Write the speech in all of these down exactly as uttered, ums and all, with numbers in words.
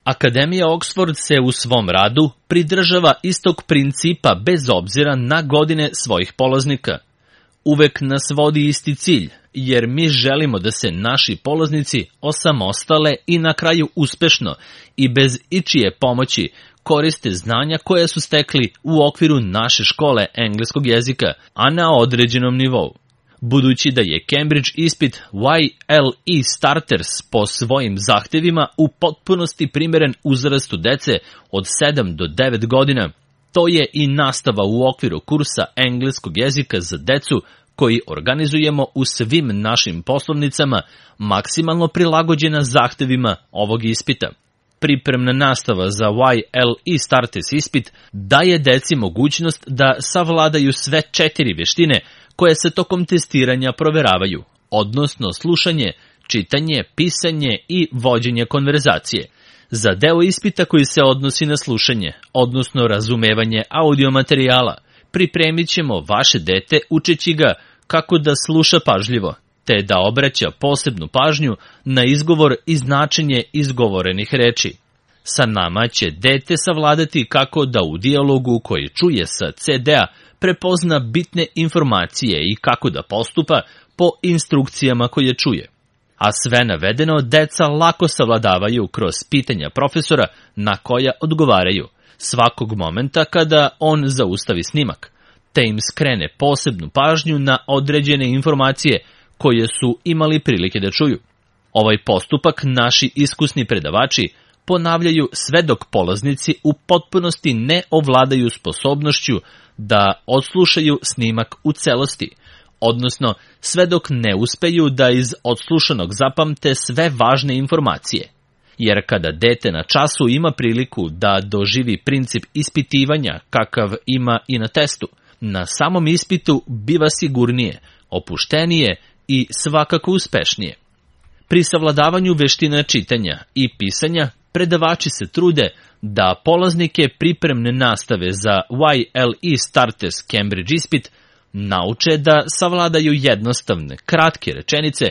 Akademija Oxford se u svom radu pridržava istog principa bez obzira na godine svojih polaznika. Uvek nas vodi isti cilj, jer mi želimo da se naši polaznici osamostale i na kraju uspešno i bez ičije pomoći koriste znanja koje su stekli u okviru naše škole engleskog jezika, a na određenom nivou. Budući da je Cambridge ispit Y L E Starters po svojim zahtevima u potpunosti primeren uzrastu dece od sedam do devet godina, to je i nastava u okviru kursa engleskog jezika za decu koji organizujemo u svim našim poslovnicama, maksimalno prilagođena zahtevima ovog ispita. Pripremna nastava za Y L E Starters ispit daje deci mogućnost da savladaju sve četiri veštine koje se tokom testiranja proveravaju, odnosno slušanje, čitanje, pisanje i vođenje konverzacije. Za deo ispita koji se odnosi na slušanje, odnosno razumevanje audio materijala, pripremit ćemo vaše dete učeći ga kako da sluša pažljivo, te da obraća posebnu pažnju na izgovor i značenje izgovorenih reči. Sa nama će dete savladati kako da u dijalogu koji čuje sa C D-a prepozna bitne informacije i kako da postupa po instrukcijama koje čuje. A sve navedeno deca lako savladavaju kroz pitanja profesora na koja odgovaraju, svakog momenta kada on zaustavi snimak, te im skrene posebnu pažnju na određene informacije koje su imali prilike da čuju. Ovaj postupak naši iskusni predavači ponavljaju sve dok polaznici u potpunosti ne ovladaju sposobnošću da odslušaju snimak u celosti, odnosno sve dok ne uspeju da iz odslušanog zapamte sve važne informacije. Jer kada dete na času ima priliku da doživi princip ispitivanja kakav ima i na testu, na samom ispitu biva sigurnije, opuštenije i svakako uspešnije. Pri savladavanju veština čitanja i pisanja predavači se trude da polaznike pripremne nastave za Y L E Starters Cambridge ispit nauče da savladaju jednostavne, kratke rečenice,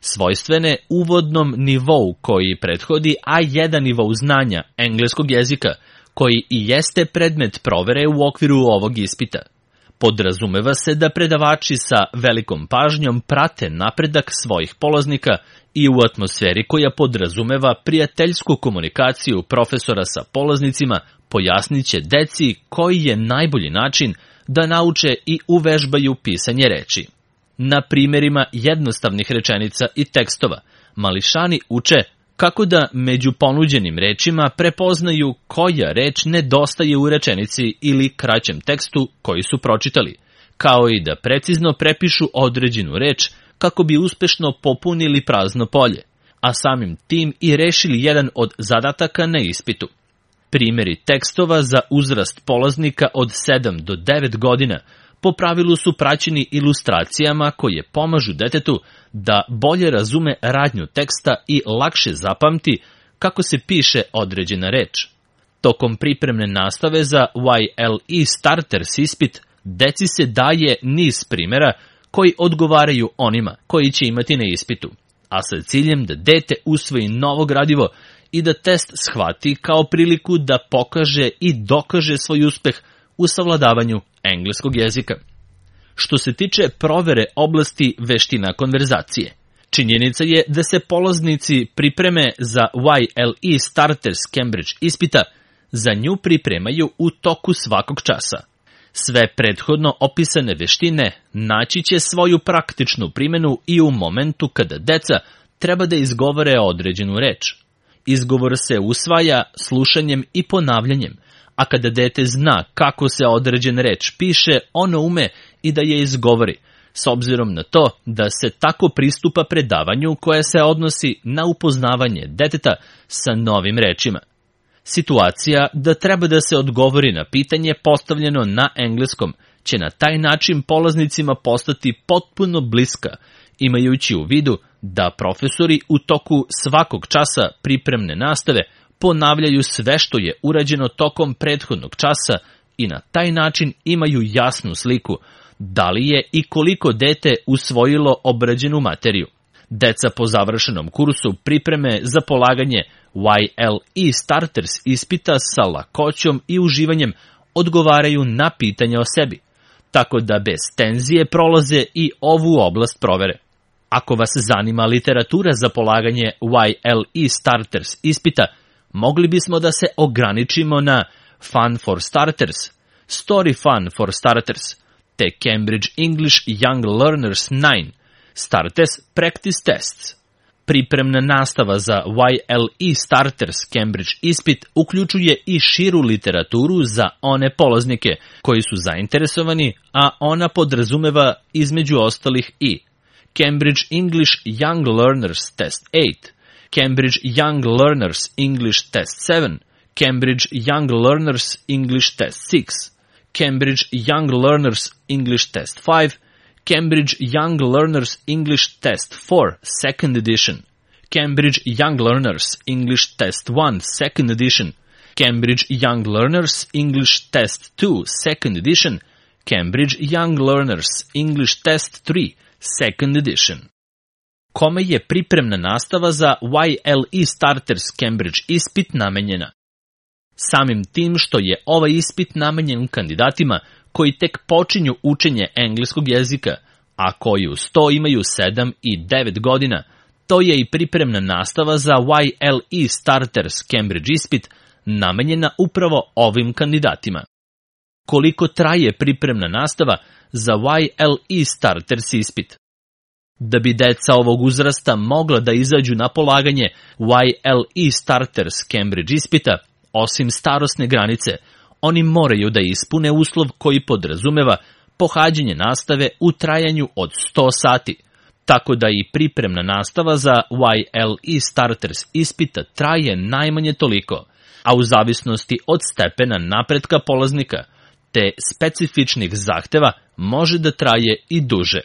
svojstvene uvodnom nivou koji prethodi A jedan nivou znanja engleskog jezika, koji i jeste predmet provere u okviru ovog ispita. Podrazumeva se da predavači sa velikom pažnjom prate napredak svojih polaznika i u atmosferi koja podrazumeva prijateljsku komunikaciju profesora sa polaznicima pojasnit će deci koji je najbolji način da nauče i uvežbaju pisanje reči. Na primjerima jednostavnih rečenica i tekstova, mališani uče kako da među ponuđenim rečima prepoznaju koja reč nedostaje u rečenici ili kraćem tekstu koji su pročitali, kao i da precizno prepišu određenu reč kako bi uspešno popunili prazno polje, a samim tim i rešili jedan od zadataka na ispitu. Primjeri tekstova za uzrast polaznika od sedam do devet godina po pravilu su praćeni ilustracijama koje pomažu detetu da bolje razume radnju teksta i lakše zapamti kako se piše određena reč. Tokom pripremne nastave za Y L E Starters ispit, deci se daje niz primjera koji odgovaraju onima koji će imati na ispitu, a sa ciljem da dete usvoji novo gradivo i da test shvati kao priliku da pokaže i dokaže svoj uspeh u savladavanju engleskog jezika. Što se tiče provere oblasti veština konverzacije, činjenica je da se polaznici pripreme za Y L E Starters Cambridge ispita za nju pripremaju u toku svakog časa. Sve prethodno opisane veštine naći će svoju praktičnu primjenu i u momentu kada deca treba da izgovore određenu reč. Izgovor se usvaja slušanjem i ponavljanjem, a kada dete zna kako se određena reč piše, ono ume i da je izgovori, s obzirom na to da se tako pristupa predavanju koje se odnosi na upoznavanje deteta sa novim rečima. Situacija da treba da se odgovori na pitanje postavljeno na engleskom će na taj način polaznicima postati potpuno bliska, imajući u vidu da profesori u toku svakog časa pripremne nastave ponavljaju sve što je urađeno tokom prethodnog časa i na taj način imaju jasnu sliku da li je i koliko dete usvojilo obrađenu materiju. Deca po završenom kursu pripreme za polaganje Y L E Starters ispita sa lakoćom i uživanjem odgovaraju na pitanja o sebi, tako da bez tenzije prolaze i ovu oblast provere. Ako vas zanima literatura za polaganje Y L E Starters ispita, mogli bismo da se ograničimo na Fun for Starters, Story Fun for Starters, te Cambridge English Young Learners devet, Starters Practice Tests. Pripremna nastava za Y L E Starters Cambridge ispit uključuje i širu literaturu za one polaznike koji su zainteresovani, a ona podrazumeva između ostalih i Cambridge English Young Learners Test osam, Cambridge Young Learners English Test sedam, Cambridge Young Learners English Test šest, Cambridge Young Learners English Test pet, Cambridge Young Learners English Test four Second Edition, Cambridge Young Learners English Test one Second Edition, Cambridge Young Learners English Test two Second Edition, Cambridge Young Learners English Test three Second Edition. Kome je pripremna nastava za Y L E Starters Cambridge ispit namenjena? Samim tim što je ovaj ispit namenjen kandidatima koji tek počinju učenje engleskog jezika, a koji uz to imaju sedam i devet godina, to je i pripremna nastava za Y L E Starters Cambridge ispit namenjena upravo ovim kandidatima. Koliko traje pripremna nastava za Y L E Starters ispit? Da bi deca ovog uzrasta mogla da izađu na polaganje Y L E Starters Cambridge ispita, osim starosne granice, oni moraju da ispune uslov koji podrazumeva pohađanje nastave u trajanju od sto sati, tako da i pripremna nastava za Y L E Starters ispita traje najmanje toliko, a u zavisnosti od stepena napretka polaznika te specifičnih zahteva može da traje i duže.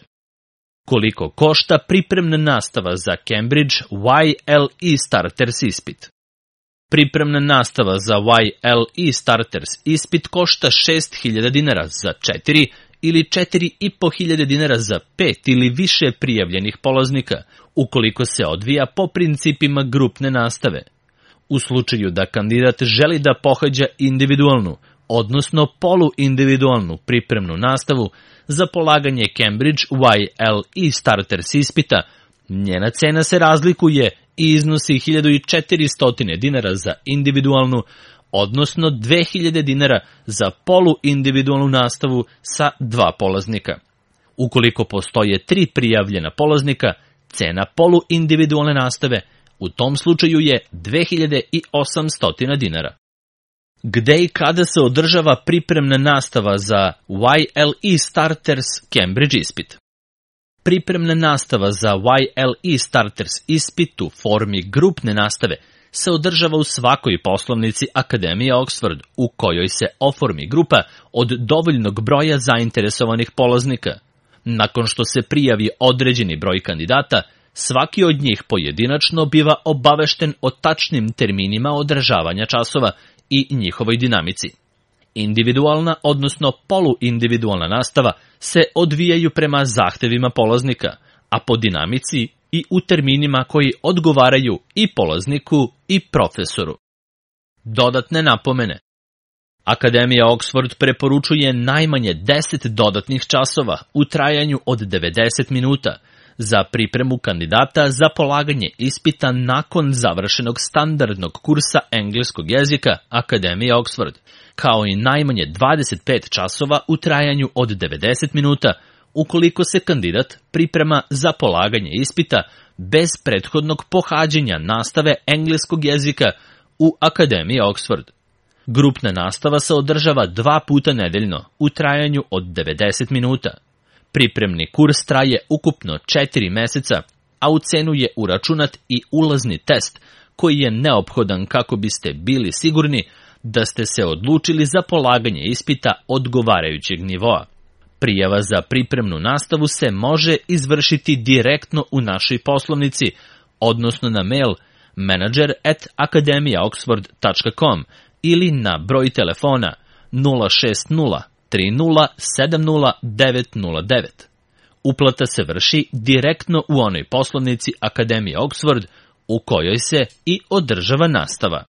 Koliko košta pripremna nastava za Cambridge Y L E Starters ispit? Pripremna nastava za Y L E Starters ispit košta šest hiljada dinara za četiri ili četiri i po hiljade dinara za pet ili više prijavljenih polaznika, ukoliko se odvija po principima grupne nastave. U slučaju da kandidat želi da pohađa individualnu, odnosno poluindividualnu pripremnu nastavu za polaganje Cambridge Y L E Starters ispita, njena cena se razlikuje i iznosi hiljadu četiristo dinara za individualnu, odnosno dve hiljade dinara za poluindividualnu nastavu sa dva polaznika. Ukoliko postoje tri prijavljena polaznika, cena poluindividualne nastave u tom slučaju je dve hiljade osamsto dinara. Gde i kada se održava pripremna nastava za Y L E Starters Cambridge ispit? Pripremna nastava za Y L E Starters ispit u formi grupne nastave se održava u svakoj poslovnici Akademije Oxford, u kojoj se oformi grupa od dovoljnog broja zainteresovanih polaznika. Nakon što se prijavi određeni broj kandidata, svaki od njih pojedinačno biva obavešten o tačnim terminima održavanja časova i njihovoj dinamici. Individualna, odnosno poluindividualna nastava se odvijaju prema zahtevima polaznika, a po dinamici i u terminima koji odgovaraju i polazniku i profesoru. Dodatne napomene. Akademija Oxford preporučuje najmanje deset dodatnih časova u trajanju od devedeset minuta za pripremu kandidata za polaganje ispita nakon završenog standardnog kursa engleskog jezika Akademije Oxford, kao i najmanje dvadeset pet časova u trajanju od devedeset minuta ukoliko se kandidat priprema za polaganje ispita bez prethodnog pohađanja nastave engleskog jezika u Akademiji Oxford. Grupna nastava se održava dva puta nedeljno u trajanju od devedeset minuta. Pripremni kurs traje ukupno četiri meseca, a u cenu je uračunat i ulazni test koji je neophodan kako biste bili sigurni da ste se odlučili za polaganje ispita odgovarajućeg nivoa. Prijava za pripremnu nastavu se može izvršiti direktno u našoj poslovnici, odnosno na mail manager at akademija oxford tačka com ili na broj telefona nula šest nula tri nula sedam nula devet nula devet. Uplata se vrši direktno u onoj poslovnici Akademije Oxford u kojoj se i održava nastava.